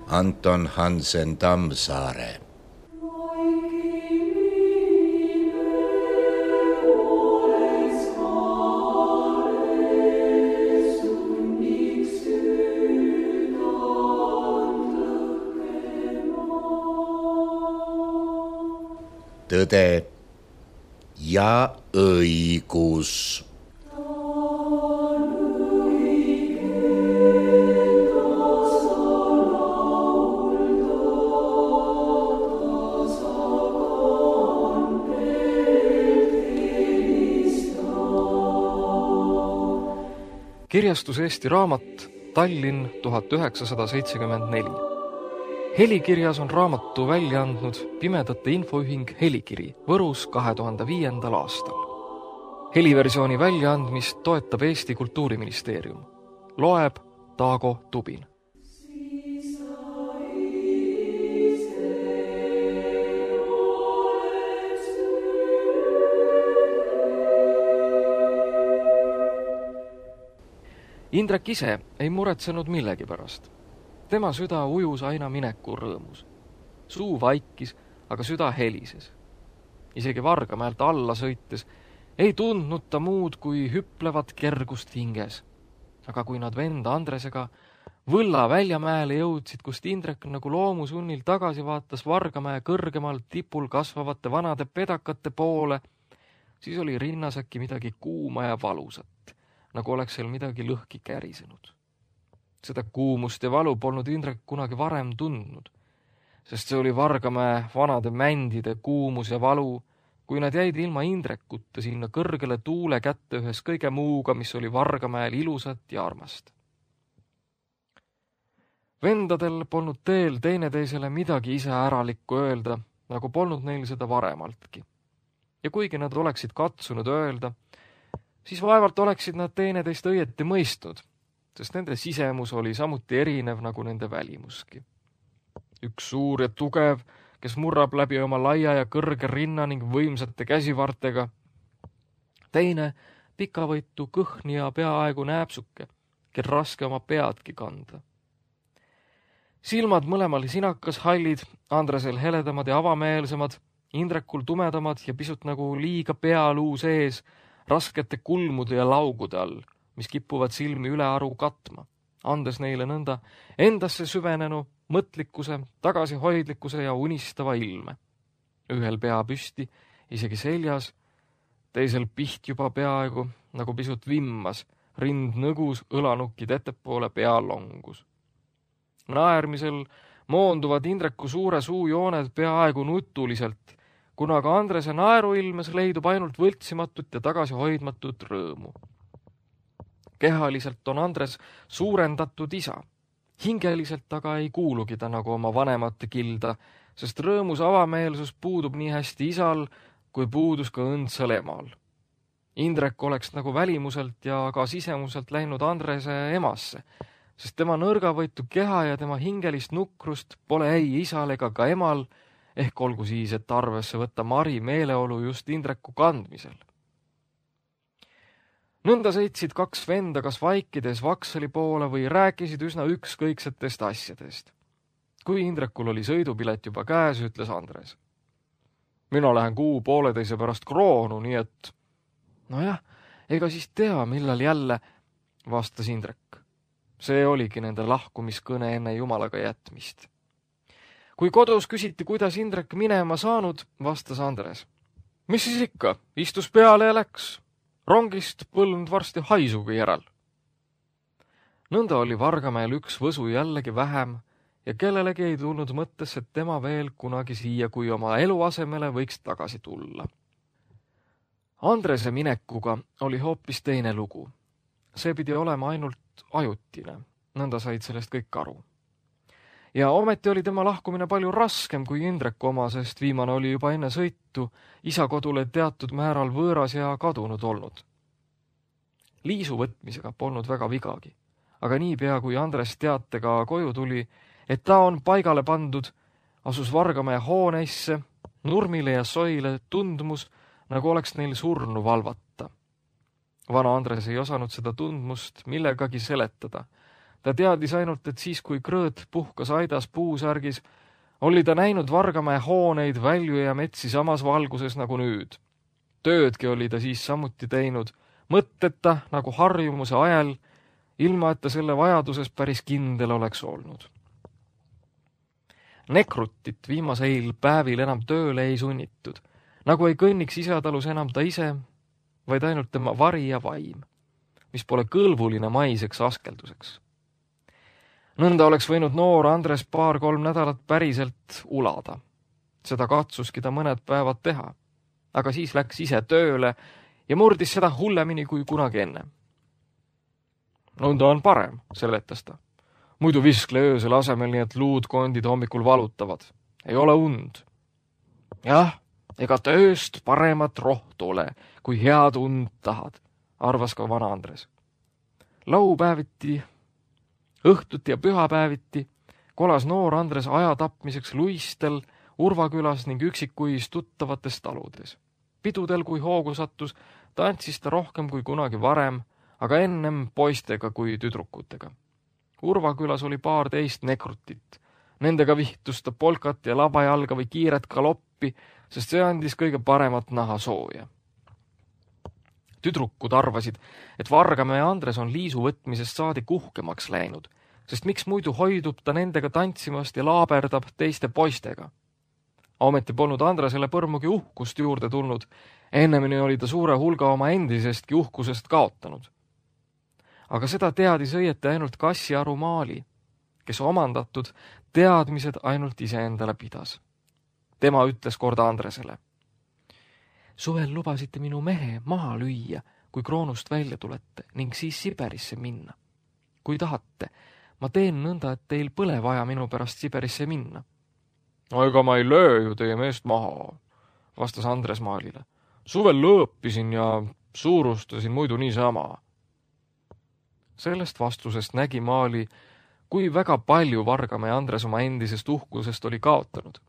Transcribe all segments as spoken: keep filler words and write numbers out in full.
Anton Hansen Tammsaare. Tõde ja õigus. Kirjastus Eesti Raamat, Tallinn tuhat üheksasada seitsekümmend neli. Helikirjas on raamatu välja andnud Pimedate Infoühing Helikiri Võrus kahe tuhande viiendal aastal. Heliversiooni väljaandmist toetab Eesti Kultuuriministeerium. Loeb Taago Tubin. Indrek ise ei muretsenud millegi pärast. Tema süda ujus aina mineku rõõmus. Suu vaikis, aga süda helises. Isegi Vargamäelt alla sõites ei tundnud ta muud kui hüplevat kergust hinges. Aga kui nad venda Andresega Võlla väljamäele jõudsid, kust Indrek nagu loomusunnil tagasi vaatas Vargamäe kõrgemal tipul kasvavate vanade pedakate poole, siis oli rinnas äkki midagi kuuma ja valusat, nagu oleks seal midagi lõhki kärisenud. Seda kuumust ja valu polnud Indrek kunagi varem tundnud, sest see oli Vargamäe vanade mändide kuumus ja valu, kui nad jäid ilma Indrekuta sinna kõrgele tuule kätte ühes kõige muuga, mis oli Vargamäel ilusat ja armast. Vendadel polnud teel teineteisele midagi ise äralikku öelda, nagu polnud neil seda varemaltki. Ja kuigi nad oleksid katsunud öelda, siis vaevalt oleksid nad teineteist õieti mõistnud, sest nende sisemus oli samuti erinev nagu nende välimuski. Üks suur ja tugev, kes murrab läbi oma laia ja kõrge rinna ning võimsate käsivartega. Teine pikavõitu kõhni ja peaaegu nääpsuke, kel raske oma peadki kanda. Silmad mõlemal sinakas hallid, Andresel heledamad ja avameelsemad, Indrekul tumedamad ja pisut nagu liiga pealuu sees, raskete kulmude ja laugude all, mis kippuvad silmi üle aru katma, andes neile nõnda endasse süvenenu mõtlikkuse, tagasihoidlikkuse ja unistava ilme. Ühel pea püsti, isegi seljas, teisel piht juba peaaegu, nagu pisut vimmas, rind nõgus, õlanukid ettepoole pea longus. Naermisel moonduvad Indreku suure suu jooned peaaegu nutuliselt, kuna ka Andrese naeruilmes leidub ainult võltsimatut ja tagasihoidmatut rõõmu. Kehaliselt on Andres suurendatud isa. Hingeliselt aga ei kuulugi ta nagu oma vanemate kilda, sest rõõmus avameelsus puudub nii hästi isal, kui puudus ka õndsal emal. Indrek oleks nagu välimuselt ja ka sisemuselt läinud Andrese emasse, sest tema nõrgavõitu keha ja tema hingelist nukrust pole ei isal ega ka emal, ehk olgu siis, et arvesse võtta Mari meeleolu just Indreku kandmisel. Nõnda sõitsid kaks venda kas vaikides Vaksali poole või rääkisid üsna ükskõiksetest asjadest. Kui Indrekul oli sõidupilet juba käes, ütles Andres. Mina lähen kuu pooleteise pärast Kroonu, nii et... Nojah, ega siis tea, millal jälle, vastas Indrek. See oligi nende lahkumiskõne enne Jumalaga jätmist. Kui kodus küsiti, kuidas Indrek minema saanud, vastas Andres. Mis siis ikka, istus peale ja läks. Rongist põlnud varsti haisugi järel. Nõnda oli Vargamäel üks võsu jällegi vähem ja kellelegi ei tulnud mõttesse, et tema veel kunagi siia, kui oma eluasemele võiks tagasi tulla. Andrese minekuga oli hoopis teine lugu. See pidi olema ainult ajutine, nõnda said sellest kõik aru. Ja ometi oli tema lahkumine palju raskem kui Indreku oma, sest viimane oli juba enne sõitu isa kodule teatud määral võõras ja kadunud olnud. Liisu võtmisega polnud väga vigagi, aga niipea kui Andres teatega koju tuli, et ta on paigale pandud, asus Vargamäe hooneisse, nurmile ja soile tundmus, nagu oleks neil surnu valvata. Vana Andres ei osanud seda tundmust millegagi seletada. Ta teadis ainult, et siis, kui Krõõt puhkas aidas puusärgis, oli ta näinud Vargamäe hooneid, välju ja metsi samas valguses nagu nüüd. Töödki oli ta siis samuti teinud, mõtteta nagu harjumuse ajal, ilma et ta selle vajaduses päris kindel oleks olnud. Nekrutit viimaseil päevil enam tööle ei sunnitud, nagu ei kõnniks isatalus enam ta ise, vaid ainult tema vari ja vaim, mis pole kõlvuline maiseks askelduseks. Nõnda oleks võinud noor Andres paar-kolm nädalat päriselt ulada. Seda katsuski ta mõned päevad teha, aga siis läks ise tööle ja murdis seda hullemini kui kunagi enne. Nõnda on parem, seletas ta. Muidu viskle öösel asemel, nii et luud kondid hommikul valutavad. Ei ole und. Jah, ega tööst paremat rohtu ole, kui head und tahad, arvas ka vana Andres. Laupäeviti, õhtuti ja pühapäeviti kolas noor Andres aja tapmiseks luistel, Urvakülas ning üksikuis tuttavates taludes. Pidudel, kui hoogu sattus, tantsis ta rohkem kui kunagi varem, aga ennem poistega kui tüdrukutega. Urvakülas oli paar teist nekrutit. Nendega vihtus ta polkat ja labajalga või kiiret galoppi, sest see andis kõige paremat naha sooja. Tüdrukud arvasid, et Vargamäe Andres on liisu võtmisest saadi kuhkemaks läinud, sest miks muidu hoidub ta nendega tantsimast ja laaberdab teiste poistega. Ometi polnud Andresele põrmugi uhkust juurde tulnud, ennemini oli ta suure hulga oma endisestki uhkusest kaotanud. Aga seda teadis õieti ainult Kassiaru Maali, kes omandatud teadmised ainult iseendale pidas. Tema ütles kord Andresele. Suvel lubasite minu mehe maha lüüa, kui Kroonust välja tulete ning siis Siberisse minna. Kui tahate, ma teen nõnda, et teil pole vaja minu pärast Siberisse minna. No ega ma ei löö ju teie meest maha, vastas Andres Maalile. Suvel lõõpisin ja suurustasin muidu niisama. Sellest vastusest nägi Maali, kui väga palju Vargamäe Andres oma endisest uhkusest oli kaotanud.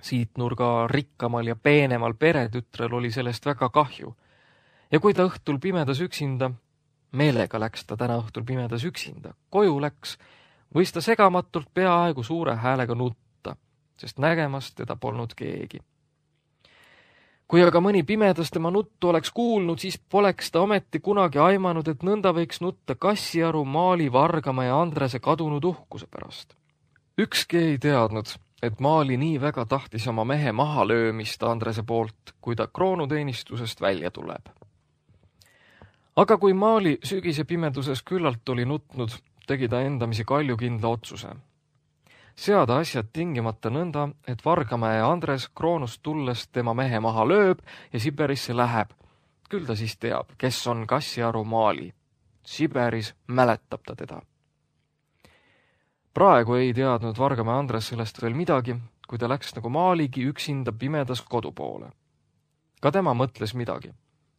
Siit nurga rikkamal ja peenemal peretütrel oli sellest väga kahju. Ja kui ta õhtul pimedas üksinda, meelega läks ta täna õhtul pimedas üksinda, koju läks, võis ta segamatult peaaegu suure häälega nutta, sest nägemas teda polnud keegi. Kui aga mõni pimedas tema nuttu oleks kuulnud, siis poleks ta ometi kunagi aimanud, et nõnda võiks nutta Kassiaru Maali, Vargamäe ja Andrese kadunud uhkuse pärast. Ükski ei teadnud, et Maali nii väga tahtis oma mehe maha löömist Andrese poolt, kui ta kroonuteenistusest välja tuleb. Aga kui Maali sügise pimeduses küllalt oli nutnud, tegi ta endamisi kaljukindla otsuse. Seada asjad tingimata nõnda, et Vargamäe ja Andres Kroonust tulles tema mehe maha lööb ja Siberisse läheb. Küll ta siis teab, kes on Kassiaru Maali. Siberis mäletab ta teda. Praegu ei teadnud Vargamäe Andres sellest veel midagi, kui ta läks nagu Maaligi üksinda pimedas kodu poole. Ka tema mõtles midagi,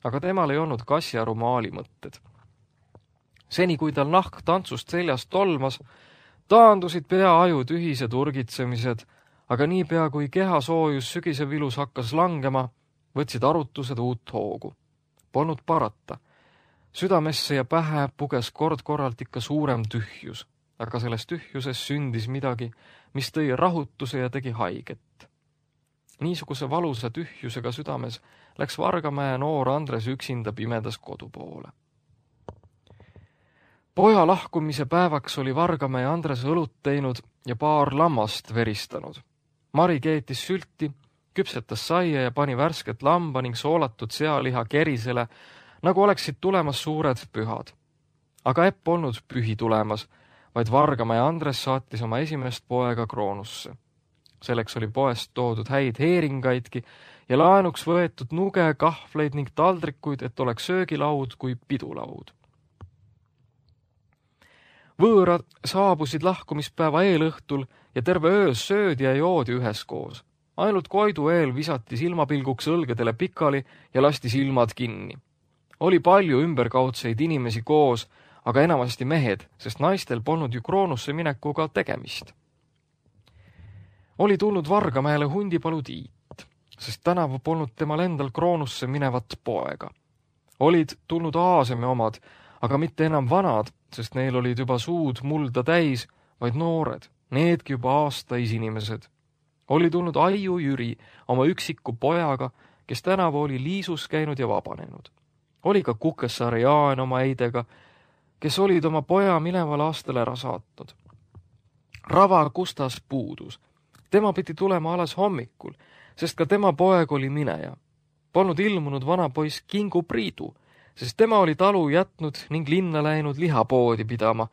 aga temal ei olnud Kassiaru Maali mõtted. Seni, kui tal nahk tantsust seljast tolmas, taandusid peaaju tühised urgitsemised, aga niipea kui keha soojus sügise vilus hakkas langema, võtsid arutused uut hoogu. Polnud parata. Südamesse ja pähe puges kord-korralt ikka suurem tühjus, aga selles tühjuses sündis midagi, mis tõi rahutuse ja tegi haiget. Niisuguse valusa tühjusega südames läks Vargamäe noor Andres üksinda pimedas kodu poole. Poja lahkumise päevaks oli Vargamäe Andres õlut teinud ja paar lammast veristanud. Mari keetis sülti, küpsetas saia ja pani värsket lamba ning soolatud sealiha kerisele, nagu oleksid tulemas suured pühad. Aga Epp polnud pühi tulemas, vaid Vargamäe Andres saatis oma esimest poega Kroonusse. Selleks oli poest toodud häid heeringaidki ja laenuks võetud nuge, kahvleid ning taldrikuid, et oleks söögilaud kui pidulaud. Võõrad saabusid lahkumispäeva eelõhtul ja terve öös söödi ja joodi üheskoos. Ainult Koidu eel visati silmapilguks õlgedele pikali ja lasti silmad kinni. Oli palju ümberkaudseid inimesi koos, aga enamasti mehed, sest naistel polnud ju Kroonusse minekuga tegemist. Oli tulnud Vargamäele Hundipalu Tiit, sest tänavu polnud temal endal Kroonusse minevat poega. Olid tulnud Aaseme omad, aga mitte enam vanad, sest neil olid juba suud mulda täis, vaid noored, needki juba aastaisinimesed. Oli tulnud Aiu Jüri oma üksiku pojaga, kes tänavu oli liisus käinud ja vabanenud. Oli ka Kukessaare Jaan oma eidega, kes olid oma poja mineval aastal ära saatnud. Rava Kustas puudus. Tema pidi tulema alles hommikul, sest ka tema poeg oli mineja. Polnud ilmunud vana poiss Kingu Priidu, sest tema oli talu jätnud ning linna läinud lihapoodi pidama,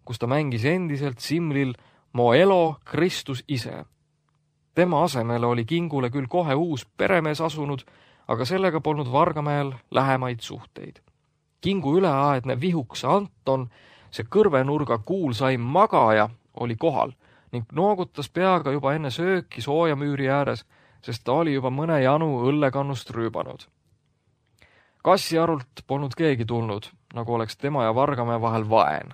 kus ta mängis endiselt Simlil Mo elo Kristus ise. Tema asemele oli Kingule küll kohe uus peremees asunud, aga sellega polnud Vargamäel lähemaid suhteid. Kingu üleaedne vihuks Anton, see kõrvenurga kuulsaim magaja, oli kohal ning noogutas peaga juba enne sööki soojamüüri ääres, sest ta oli juba mõne janu õllekannust rüübanud. Kassiarult polnud keegi tulnud, nagu oleks tema ja Vargamäe vahel vaen.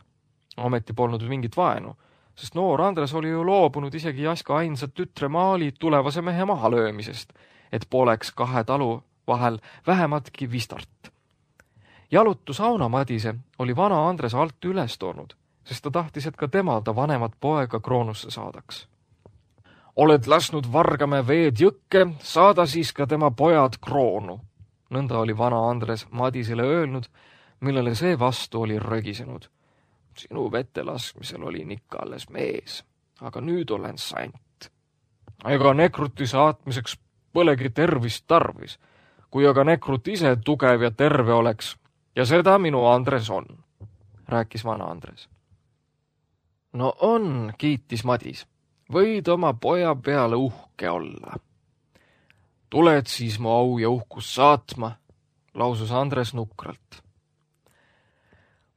Ometi polnud mingit vaenu, sest noor Andres oli ju loobunud isegi Jaska ainsat tütre Maali tulevase mehe mahalöömisest, et poleks kahe talu vahel vähematki vistart. Jalutu Sauna Madise oli vana Andres alt üles toonud, sest ta tahtis, et ka temal ta vanemat poega kroonusse saadaks. Oled lasknud Vargamäe veed jõkke, saada siis ka tema pojad kroonu. Nõnda oli vana Andres Madisele öelnud, millele see vastu oli rögisenud. Sinu vette laskmisel olin ikka alles mees, aga nüüd olen sant. Ega nekruti saatmiseks polegi tervist tarvis, kui aga nekrut ise tugev ja terve oleks, ja seda minu Andres on, rääkis vana Andres. No on, kiitis Madis, võid oma poja peale uhke olla. Tuled siis mu au ja uhkus saatma, lausus Andres nukralt.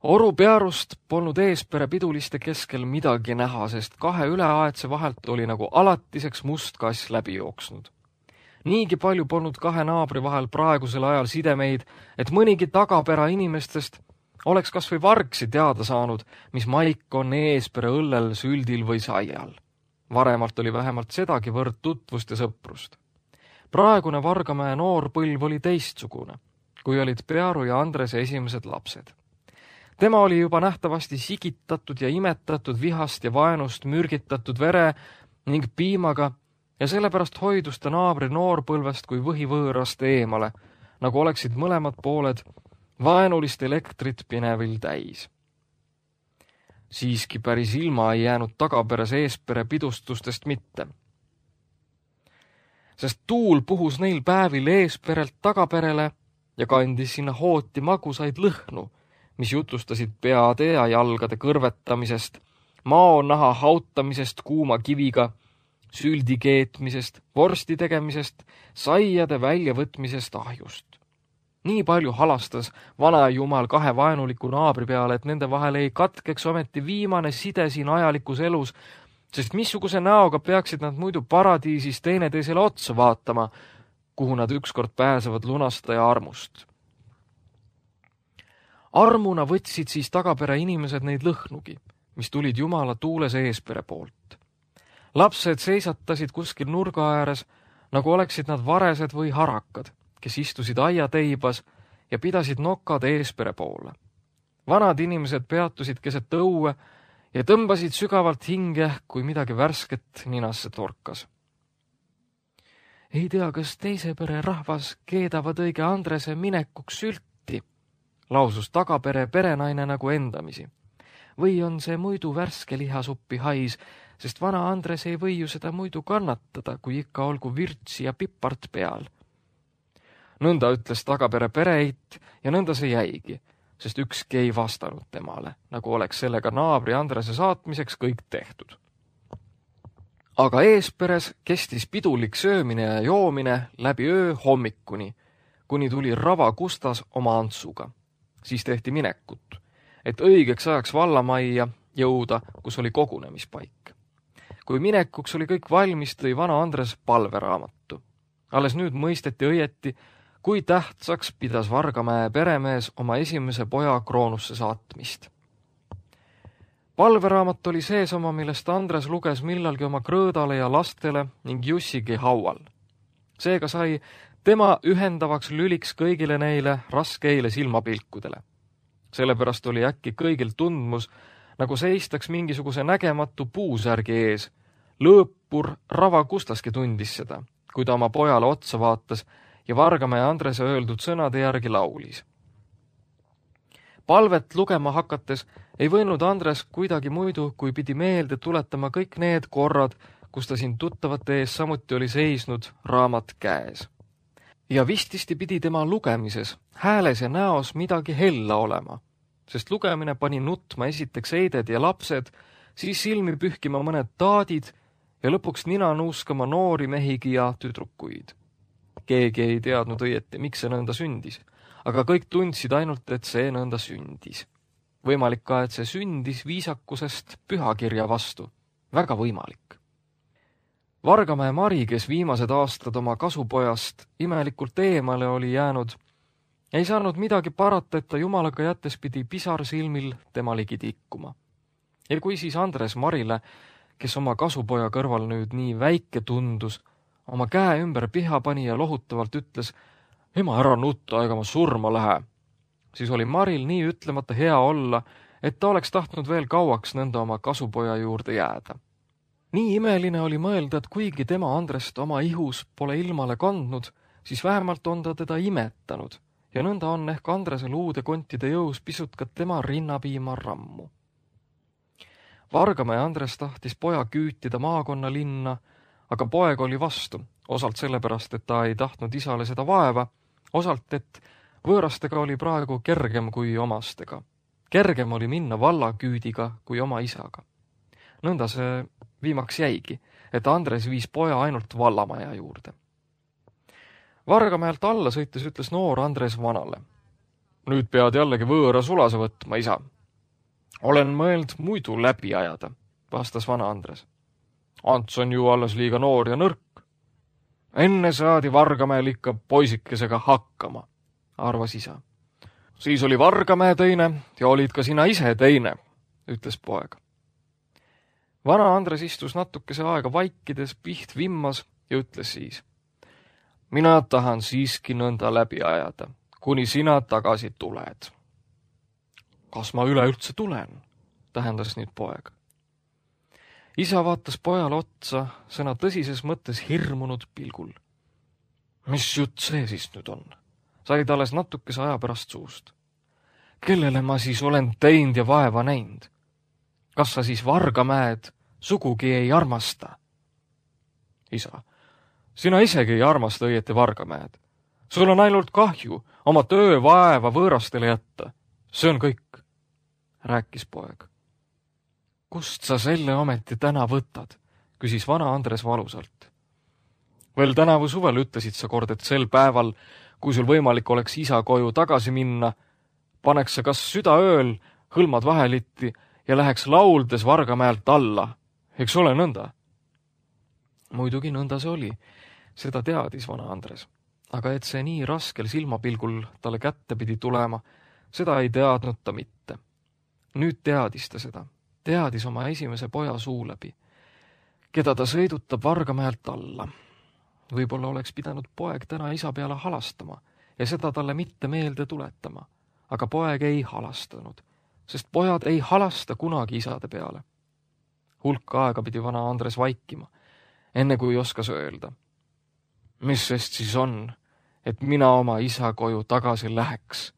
Oru pearust polnud Eespere piduliste keskel midagi näha, sest kahe üleaedse vahelt oli nagu alatiseks must kass läbi jooksnud. Niigi palju polnud kahe naabri vahel praegusel ajal sidemeid, et mõnigi tagapera inimestest oleks kas või vargsi teada saanud, mis maik on Eespere õllel, süldil või saial. Varemalt oli vähemalt sedagi võrd tutvust ja sõprust. Praegune Vargamäe noor põlv oli teistsugune, kui olid Pearu ja Andrese esimesed lapsed. Tema oli juba nähtavasti sigitatud ja imetatud vihast ja vaenust mürgitatud vere ning piimaga ja sellepärast hoidus ta naabri noorpõlvest kui võhivõõrast eemale, nagu oleksid mõlemad pooled vaenulist elektrit pinevil täis. Siiski päris ilma ei jäänud tagaperes Eespere pidustustest mitte. Sest tuul puhus neil päevil Eesperelt tagaperele ja kandis sinna hooti magusaid lõhnu, mis jutustasid peade ja jalgade kõrvetamisest, maonaha hautamisest kuuma kiviga, süldi keetmisest, vorsti tegemisest, saiade väljavõtmisest ahjust. Nii palju halastas vana jumal kahe vaenuliku naabri peale, et nende vahel ei katkeks ometi viimane side siin ajalikus elus, sest missuguse näoga peaksid nad muidu paradiisis teineteisele otsa vaatama, kuhu nad ükskord pääsevad lunastaja armust. Armuna võtsid siis tagapere inimesed neid lõhnugi, mis tulid jumala tuules Eespere poolt. Lapsed seisatasid kuskil nurga ääres, nagu oleksid nad varesed või harakad, kes istusid aiateibas ja pidasid nokad Eespere poole. Vanad inimesed peatusid keset õue ja tõmbasid sügavalt hinge, kui midagi värsket ninasse torkas. Ei tea, kas teise pere rahvas keedavad õige Andrese minekuks sülti, lausus tagapere perenaine nagu endamisi. Või on see muidu värske lihasuppi hais, sest vana Andres ei või ju seda muidu kannatada, kui ikka olgu virtsi ja pipart peal. Nõnda ütles tagapere pereit ja nõnda see jäigi, sest ükski ei vastanud temale, nagu oleks sellega naabri Andrese saatmiseks kõik tehtud. Aga Eesperes kestis pidulik söömine ja joomine läbi öö hommikuni, kuni tuli Rava Kustas oma Antsuga. Siis tehti minekut, et õigeks ajaks vallamajja jõuda, kus oli kogunemispaik. Kui minekuks oli kõik valmis, tõi vana Andres palveraamatu. Alles nüüd mõisteti õieti, kui tähtsaks pidas Vargamäe peremees oma esimese poja kroonusse saatmist. Palveraamat oli sees oma, millest Andres luges millalgi oma krõõdale ja lastele ning Jussigi haual. Seega sai tema ühendavaks lüliks kõigile neile raskeile silmapilkudele. Sellepärast oli äkki kõigil tundmus, nagu seistaks mingisuguse nägematu puusärgi ees. Lõõpur Rava Kustaski tundis seda, kui ta oma pojale otsa vaatas ja Vargamäe Andrese öeldud sõnade järgi laulis. Palvet lugema hakates ei võinud Andres kuidagi muidu, kui pidi meelde tuletama kõik need korrad, kus ta siin tuttavate ees samuti oli seisnud raamat käes. Ja vististi pidi tema lugemises, hääles ja näos midagi hella olema, sest lugemine pani nutma esiteks eided ja lapsed, siis silmi pühkima mõned taadid ja lõpuks nina nuuskama noori mehigi ja tüdrukuid. Keegi ei teadnud õieti, miks see nõnda sündis, aga kõik tundsid ainult, et see nõnda sündis. Võimalik ka, et see sündis viisakusest pühakirja vastu. Väga võimalik. Vargamäe Mari, kes viimased aastad oma kasupojast imelikult eemale oli jäänud, ei saanud midagi parata, et ta jumalaga jättes pidi pisar silmil tema ligi tikkuma. Ja kui siis Andres Marile, kes oma kasupoja kõrval nüüd nii väike tundus, oma käe ümber piha pani ja lohutavalt ütles, ema ära nutta, ega ma surma lähe, siis oli Maril nii ütlemata hea olla, et ta oleks tahtnud veel kauaks nõnda oma kasupoja juurde jääda. Nii imeline oli mõelda, et kuigi tema Andrest oma ihus pole ilmale kandnud, siis vähemalt on ta teda imetanud ja nõnda on ehk Andresel uude kontide jõus pisut ka tema rinnapiima rammu. Vargamäe Andres tahtis poja küütida maakonna linna, aga poeg oli vastu, osalt sellepärast, et ta ei tahtnud isale seda vaeva, osalt, et võõrastega oli praegu kergem kui omastega. Kergem oli minna vallaküüdiga kui oma isaga. Nõnda see viimaks jäigi, et Andres viis poja ainult vallamaja juurde. Vargamäelt alla sõites ütles noor Andres vanale. Nüüd pead jällegi võõra sulase võtma, isa. Olen mõeld muidu läbi ajada, vastas vana Andres. Ants on ju alles liiga noor ja nõrk. Enne saadi Vargamäel ikka poisikesega hakkama, arvas isa. Siis oli Vargamäe teine ja olid ka sina ise teine, ütles poeg. Vana Andres istus natukese aega vaikides, piht vimmas ja ütles siis. Mina tahan siiski nõnda läbi ajada, kuni sina tagasi tuled. Kas ma üleüldse tulen? Tähendas nüüd poeg. Isa vaatas pojale otsa, sõna tõsises mõttes hirmunud pilgul. Mis jutt see siis nüüd on? Said alles natukese aja pärast suust. Kellele ma siis olen teinud ja vaeva näinud? Kas sa siis Vargamäed sugugi ei armasta? Isa, sina isegi ei armasta õieti Vargamäed. Sul on ainult kahju oma töö vaeva võõrastele jätta. See on kõik, rääkis poeg. Kust sa selle ometi täna võtad, küsis vana Andres valusalt. Veel tänavu suvel ütlesid sa kord, et sel päeval, kui sul võimalik oleks isa koju tagasi minna, paneks sa kas südaööl hõlmad vahelitti ja läheks lauldes Vargamäelt alla. Eks ole nõnda? Muidugi nõnda see oli, seda teadis vana Andres. Aga et see nii raskel silmapilgul talle kätte pidi tulema, seda ei teadnud ta mitte. Nüüd teadis ta seda, teadis oma esimese poja suu läbi, keda ta sõidutab Vargamäelt alla. Võib-olla oleks pidanud poeg täna isa peale halastama ja seda talle mitte meelde tuletama, aga poeg ei halastanud, sest pojad ei halasta kunagi isade peale. Hulk aega pidi vana Andres vaikima, enne kui oskas öelda. Mis sest siis on, et mina oma isa koju tagasi läheks?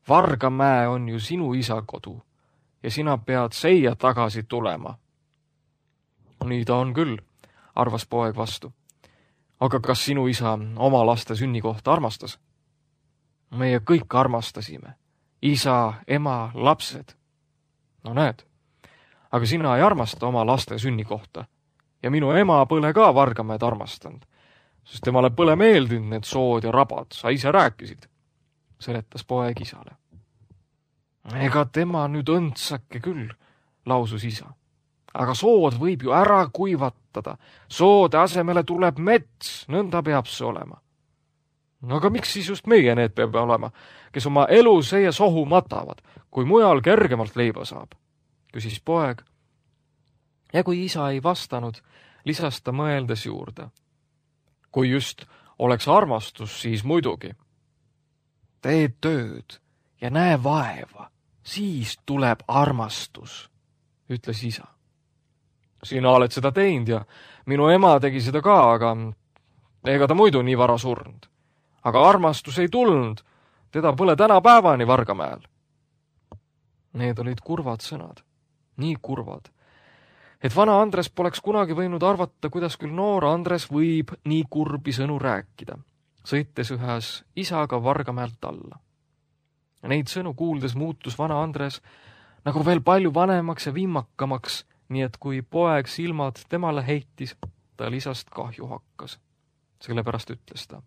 Vargamäe on ju sinu isa kodu ja sina pead seia tagasi tulema. Nii ta on küll, arvas poeg vastu. Aga kas sinu isa oma laste sünnikohta armastas? Meie kõik armastasime. Isa, ema, lapsed. No näed, aga sina ei armasta oma laste sünnikohta ja minu ema põle ka Vargamäed armastanud, sest temale põle meeldinud need sood ja rabad, sa ise rääkisid, seletas poeg isale. Ega tema nüüd õndsake küll, lausus isa. Aga sood võib ju ära kuivatada, soode asemele tuleb mets, nõnda peab see olema. No aga miks siis just meie need peab olema, kes oma elu seie sohu matavad, kui mujal kergemalt leiba saab, küsis poeg. Ja kui isa ei vastanud, lisas ta mõeldes juurde. Kui just oleks armastus, siis muidugi. Tee tööd ja näe vaeva, siis tuleb armastus, ütles isa. Sina oled seda teinud ja minu ema tegi seda ka, aga ega ta muidu nii vara surnud. Aga armastus ei tulnud, teda pole tänapäevani Vargamäel. Need olid kurvad sõnad, nii kurvad, et vana Andres poleks kunagi võinud arvata, kuidas küll noor Andres võib nii kurbi sõnu rääkida, sõites ühes isaga Vargamäelt alla. Neid sõnu kuuldes muutus vana Andres nagu veel palju vanemaks ja viimakamaks, nii et kui poeg silmad temale heitis, tal isast kahju hakkas. Sellepärast ütles ta.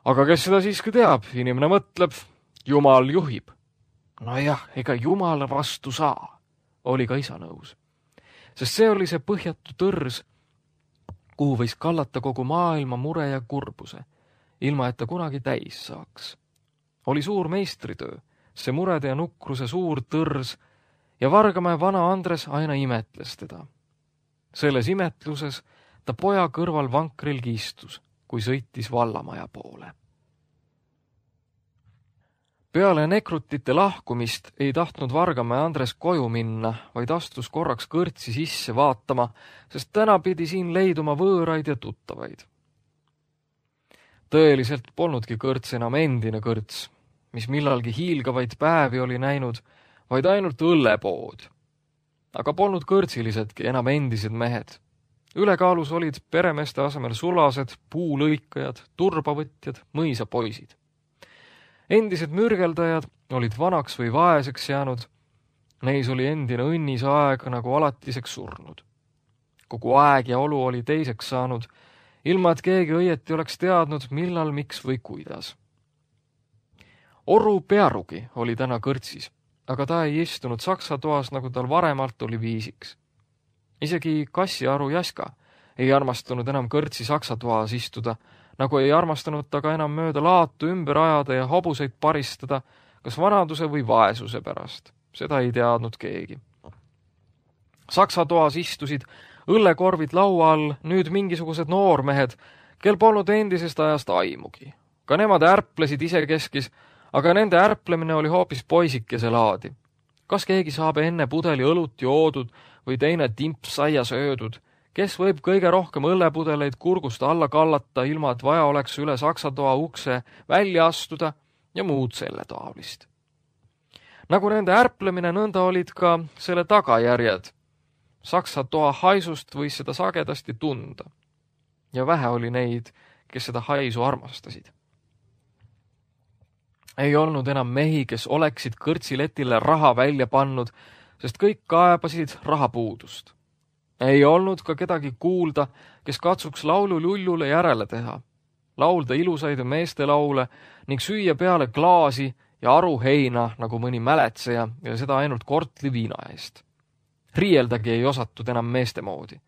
Aga kes seda siiski teab, inimene mõtleb, Jumal juhib. No jah, ega Jumala vastu saa, oli ka isa nõus. Sest see oli see põhjatu tõrs, kuhu võis kallata kogu maailma mure ja kurbuse, ilma et ta kunagi täis saaks. Oli suur meistritöö, see murede ja nukruse suur tõrs, ja Vargamäe vana Andres aina imetles teda. Selles imetluses ta poja kõrval vankril kiistus, kui sõitis vallamaja poole. Peale nekrutite lahkumist ei tahtnud Vargamäe Andres koju minna, vaid astus korraks kõrtsi sisse vaatama, sest täna pidi siin leiduma võõraid ja tuttavaid. Tõeliselt polnudki kõrts enam endine kõrts, mis millalgi hiilgavaid päevi oli näinud, vaid ainult õllepood. Aga polnud kõrtsilisedki enam endised mehed. Ülekaalus olid peremeeste asemel sulased, puulõikajad, turbavõtjad, mõisapoisid. Endised mürgeldajad olid vanaks või vaeseks jäänud, neis oli endine õnnis aeg nagu alatiseks surnud. Kogu aeg ja olu oli teiseks saanud, ilma et keegi õieti oleks teadnud, millal, miks või kuidas. Oru Pearugi oli täna kõrtsis, aga ta ei istunud saksa toas, nagu tal varemalt oli viisiks. Isegi kassiaru Jaska ei armastanud enam kõrtsi saksa toas istuda, nagu ei armastanud ta ka enam mööda laatu ümber ajada ja hobuseid paristada, kas vanaduse või vaesuse pärast. Seda ei teadnud keegi. Saksa toas istusid õllekorvid laua all nüüd mingisugused noormehed, kel polnud endisest ajast aimugi. Ka nemad ärplesid isekeskis, aga nende ärplemine oli hoopis poisikese laadi. Kas keegi saab enne pudeli õlut joodud või teine timps saia söödud? Kes võib kõige rohkem õllepudeleid kurgust alla kallata, ilma et vaja oleks üle saksa toa ukse välja astuda ja muud selle taolist. Nagu nende ärplemine, nõnda olid ka selle tagajärjed. Saksa toa haisust võis seda sagedasti tunda. Ja vähe oli neid, kes seda haisu armastasid. Ei olnud enam mehi, kes oleksid kõrtsiletile raha välja pannud, sest kõik kaebasid rahapuudust. Ei olnud ka kedagi kuulda, kes katsuks laulu lullule järele teha, laulda ilusaid meeste laule ning süüa peale klaasi ja aru heina nagu mõni mäletseja ja seda ainult kortli viina eest. Riieldagi ei osatud enam meeste moodi.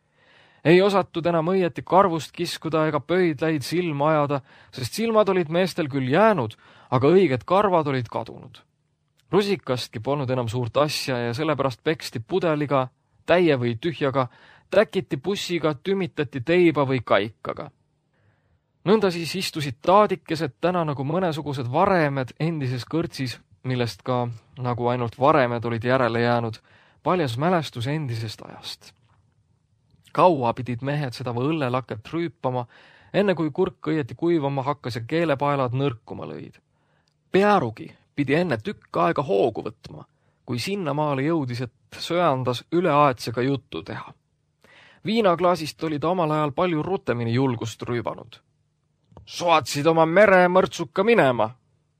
Ei osatud enam õieti karvust kiskuda ega pöidlaid silma ajada, sest silmad olid meestel küll jäänud, aga õiged karvad olid kadunud. Rusikastki polnud enam suurt asja ja sellepärast peksti pudeliga, täie või tühjaga, täkiti bussiga, tümitati teiba või kaikaga. Nõnda siis istusid taadikesed täna nagu mõnesugused varemed endises kõrtsis, millest ka, nagu ainult varemed olid järele jäänud, paljas mälestus endisest ajast. Kaua pidid mehed seda või õllelaket rüüpama, enne kui kurk õieti kuivama hakkas ja keelepaelad nõrkuma lõid. Pearugi pidi enne tükk aega hoogu võtma, kui sinnamaale jõudis, et söandas üleaetsega juttu teha. Viinaklaasist oli ta omal ajal palju rutemini julgust rüübanud. Soatsid oma meremõrtsuka minema,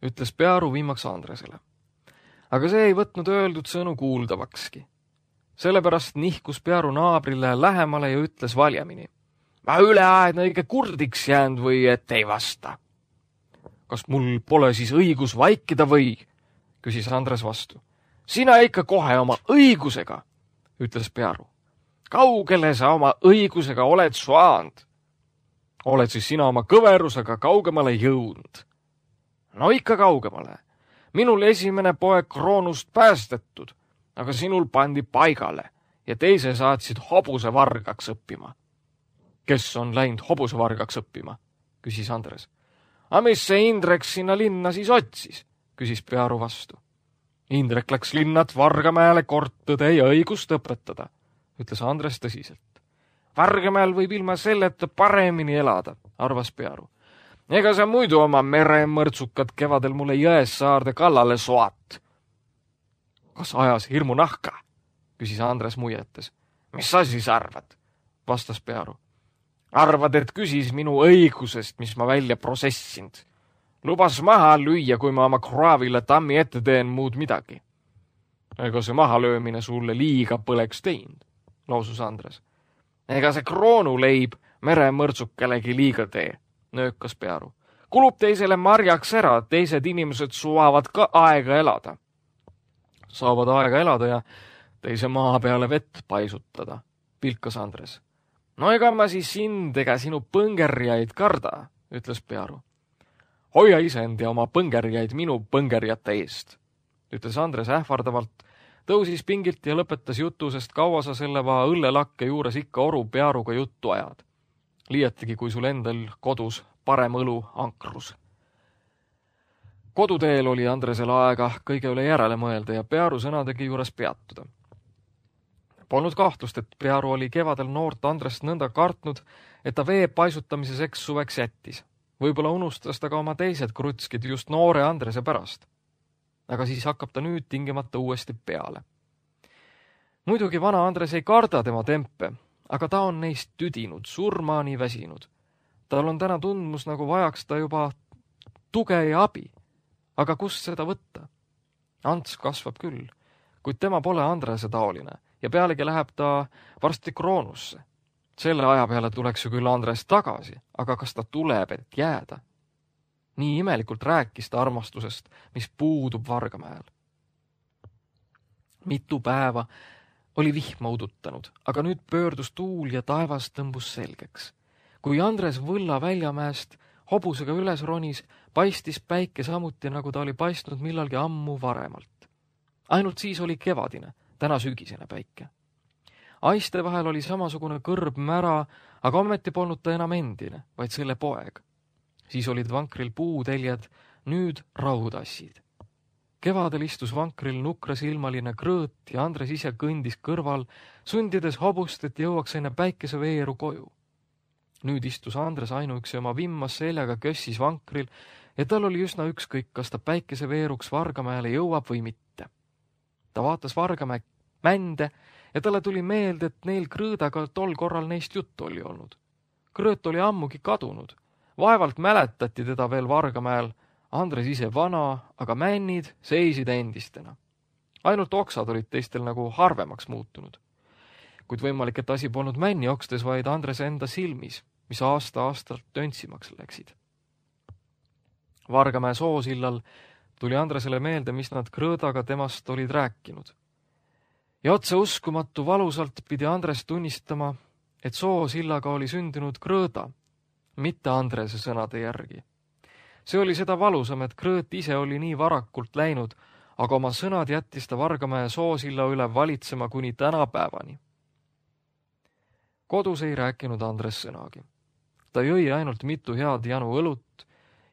ütles Pearu viimaks Andresele. Aga see ei võtnud öeldud sõnu kuuldavakski. Sellepärast nihkus Pearu naabrile lähemale ja ütles valjemini. Ma üleaedna õige kurdiks jäänud või et ei vasta. Kas mul pole siis õigus vaikida või? Küsis Andres vastu. Sina ikka kohe oma õigusega, ütles Pearu. Kaugele sa oma õigusega oled saanud? Oled siis sina oma kõverusega kaugemale jõudnud? No ikka kaugemale. Minul esimene poeg kroonust päästetud, aga sinul pandi paigale ja teise saatsid hobusevargaks õppima. Kes on läinud hobusevargaks õppima? Küsis Andres. A mis see Indrek sinna linna siis otsis? Küsis Pearu vastu. Indrek läks linnat Vargamäele kord tõde ja õigust õpetada, ütles Andres tõsiselt. Vargamäel võib ilma selleta paremini elada, arvas Pearu. Ega sa muidu oma meremõrtsukad kevadel mulle Jõessaarde kallale soat. Kas ajas hirmu nahka? Küsis Andres muietes. Mis sa siis arvad? Vastas Pearu. Arvad, et küsis minu õigusest, mis ma välja prosessinud. Lubas maha lüüa, kui ma oma kraavile tammi ette teen muud midagi. Ega see mahalöömine sulle liiga põleks teinud, lausus Andres. Ega see kroonuleib meremõrtsukelegi liiga tee, nöökas Pearu. Kulub teisele marjaks ära, teised inimesed suavad ka aega elada. Saavad aega elada ja teise maa peale vett paisutada, pilkas Andres. No ega ma siis sind ega sinu põngerjaid karda, ütles Pearu. Hoia isend ja oma põngerjaid minu põngerjate eest, ütles Andres ähvardavalt, tõusis pingilt ja lõpetas jutu, sest kaua sa selle va õllelakke juures ikka oru Pearuga juttu ajad. Liiatigi, kui sul endal kodus parem õlu ankrus. Koduteel oli Andresel aega kõige üle järele mõelda ja Pearu sõnadegi juures peatuda. Polnud kahtlust, et Pearu oli kevadel noort Andrest nõnda kartnud, et ta vee paisutamise seks suveks jättis. Võib-olla unustas ta ka oma teised krutskid just noore Andrese pärast. Aga siis hakkab ta nüüd tingimata uuesti peale. Muidugi vana Andres ei karda tema tempe, aga ta on neist tüdinud, surmaani väsinud. Tal on täna tundmus, nagu vajaks ta juba tuge ja abi. Aga kust seda võtta? Ants kasvab küll, kuid tema pole Andrese taoline ja pealegi läheb ta varsti kroonusse. Selle aja peale tuleks ju küll Andres tagasi, aga kas ta tuleb, et jääda? Nii imelikult rääkis ta armastusest, mis puudub Vargamäel. Mitu päeva oli vihma udutanud, aga nüüd pöördus tuul ja taevas tõmbus selgeks. Kui Andres Võlla väljamäest hobusega üles ronis, paistis päike samuti, nagu ta oli paistnud millalgi ammu varemalt. Ainult siis oli kevadine, täna sügisene päike. Aiste vahel oli samasugune kõrb mära, aga ometi polnud ta enam endine, vaid selle poeg. Siis olid vankril puuteljed, nüüd rauhudassid. Kevadel istus vankril nukrasilmaline krõõt ja Andres ise kõndis kõrval, sundides hobust, et jõuaks enne päikeseveeru koju. Nüüd istus Andres ainuüksi oma vimmas seljaga kössis vankril ja tal oli üsna ükskõik, kas ta päikeseveeruks Vargamäele jõuab või mitte. Ta vaatas Vargamäe mände ja talle tuli meelde, et neil krõõdaga tol korral neist juttu oli olnud. Krõõt oli ammugi kadunud. Vaevalt mäletati teda veel Vargamäel. Andres ise vana, aga männid seisid endistena. Ainult oksad olid teistel nagu harvemaks muutunud. Kuid võimalik, et asi polnud männi okstes, vaid Andres enda silmis, mis aasta-aastalt töntsimaks läksid. Vargamäe soosillal tuli Andresele meelde, mis nad krõõdaga temast olid rääkinud. Ja otse uskumatu valusalt pidi Andres tunnistama, et soosillaga oli sündinud krõõda, mitte Andrese sõnade järgi. See oli seda valusam, et krõõt ise oli nii varakult läinud, aga oma sõnad jättis ta Vargamäe soosilla üle valitsema kuni tänapäevani. Kodus ei rääkinud Andres sõnagi. Ta jõi ainult mitu head janu õlut,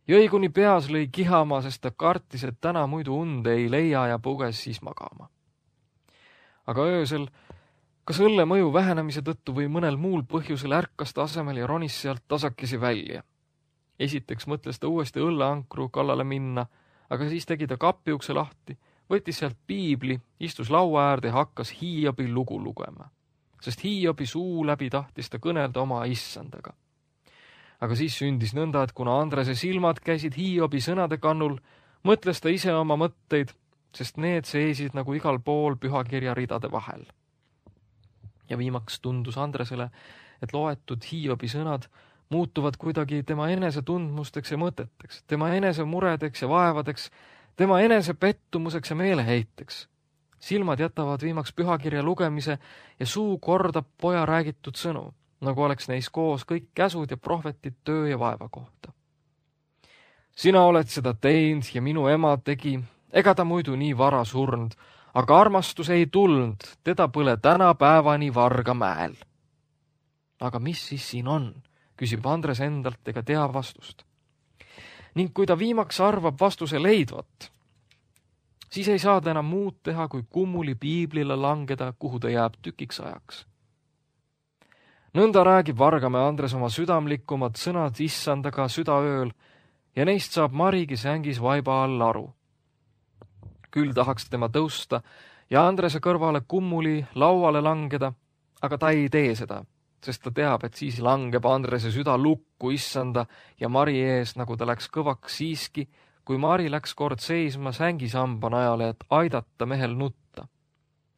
jõi kuni peas lõi kihama, sest ta kartis, et täna muidu und ei leia ja puges siis magama. Aga öösel, kas õlle mõju vähenemise tõttu või mõnel muul põhjusel ärkas ta asemel ja ronis sealt tasakesi välja. Esiteks mõtles ta uuesti õlleankru kallale minna, aga siis tegi ta kapiukse lahti, võttis sealt piibli, istus laua äärde ja hakkas Hiobi lugu lugema, sest Hiobi suu läbi tahtis ta kõnelda oma issandaga. Aga siis sündis nõnda, et kuna Andrese silmad käisid Hiobi sõnade kannul, mõtles ta ise oma mõtteid, sest need seisid nagu igal pool pühakirja ridade vahel. Ja viimaks tundus Andresele, et loetud Hiobi sõnad muutuvad kuidagi tema enese tundmusteks ja mõteteks, tema enese muredeks ja vaevadeks, tema enese pettumuseks ja meeleheiteks. Silmad jätavad viimaks pühakirja lugemise ja suu kordab poja räägitud sõnu, nagu oleks neis koos kõik käsud ja prohvetid töö ja vaeva kohta. Sina oled seda teinud ja minu ema tegi, ega ta muidu nii vara surnud, aga armastus ei tulnud, teda põle tänapäevani Vargamäel. Aga mis siis siin on? Küsib Andres endalt ega tea vastust. Ning kui ta viimaks arvab vastuse leidvat, siis ei saa ta enam muud teha, kui kummuli piiblile langeda, kuhu ta jääb tükiks ajaks. Nõnda räägib Vargamäe Andres oma südamlikumad sõnad issandaga südaööl ja neist saab Marigi sängis vaiba all aru. Küll tahaks tema tõusta ja Andrese kõrvale kummuli lauale langeda, aga ta ei tee seda, sest ta teab, et siis langeb Andrese süda lukku issanda ja Mari ees, nagu ta läks kõvaks siiski, kui Mari läks kord seisma sängisamba najale, et aidata mehel nutta.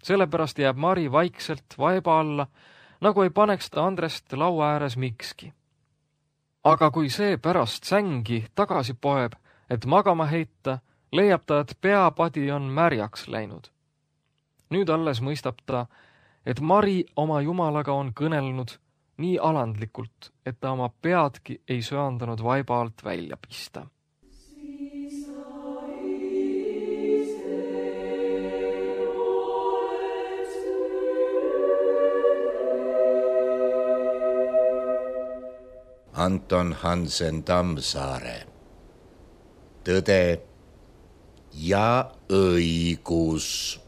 Sellepärast jääb Mari vaikselt vaiba alla, nagu ei paneks ta Andrest laua ääres mikski. Aga kui see pärast sängi tagasi poeb, et magama heita, leiab ta, et peapadi on märjaks läinud. Nüüd alles mõistab ta, et Mari oma jumalaga on kõnelnud nii alandlikult, et ta oma peadki ei söandanud vaiba alt välja pista. Anton Hansen Tammsaare. Tõde ja õigus.